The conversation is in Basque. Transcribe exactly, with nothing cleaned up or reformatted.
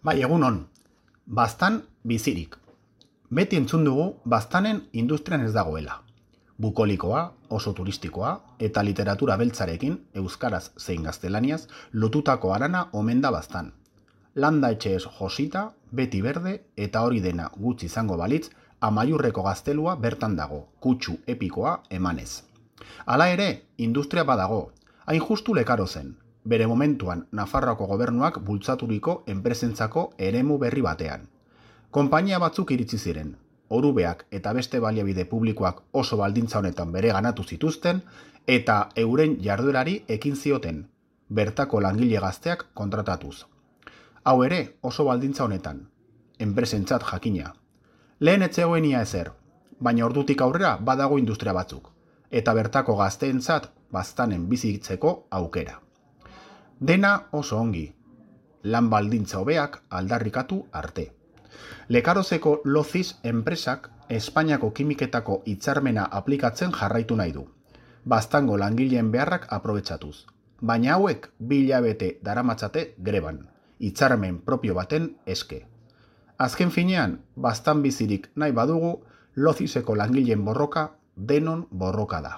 Bai, egunon, baztan bizirik. Beti entzun dugu baztanen industrian ez dagoela. Bukolikoa, oso turistikoa eta literatura beltzarekin, euskaraz zein gaztelaniaz, lotutako harana omen da baztan. Landa etxeez josita, beti berde eta hori dena gutxi izango balitz, Amaiurreko gaztelua bertan dago, kutsu epikoa emanez. Hala ere, industria badago, hain justu lekaro zen, bere momentuan Nafarroako gobernuak bultzaturiko enpresentzako eremu berri batean. Konpainia batzuk iritsi ziren, orubeak eta beste baliabide publikoak oso baldintza honetan bere ganatu zituzten eta euren jarduerari ekin zioten, bertako langile gazteak kontratatuz. Hau ere oso baldintza honetan, enpresentzat jakina. Lehen etzegoen ia ezer, baina ordutik aurrera badago industria batzuk, eta bertako gazteentzat baztanen bizitzeko aukera. Dena oso ongi, lan baldintza hobeak aldarrikatu arte. Lekarozeko Loziz enpresak Espainiako kimiketako hitzarmena aplikatzen jarraitu nahi du, baztango langileen beharrak aprobetxatuz, baina hauek bi hilabete daramatzate greban, hitzarmen propio baten eske. Azken finean, baztan bizirik nahi badugu, Lozizeko langileen borroka denon borroka da.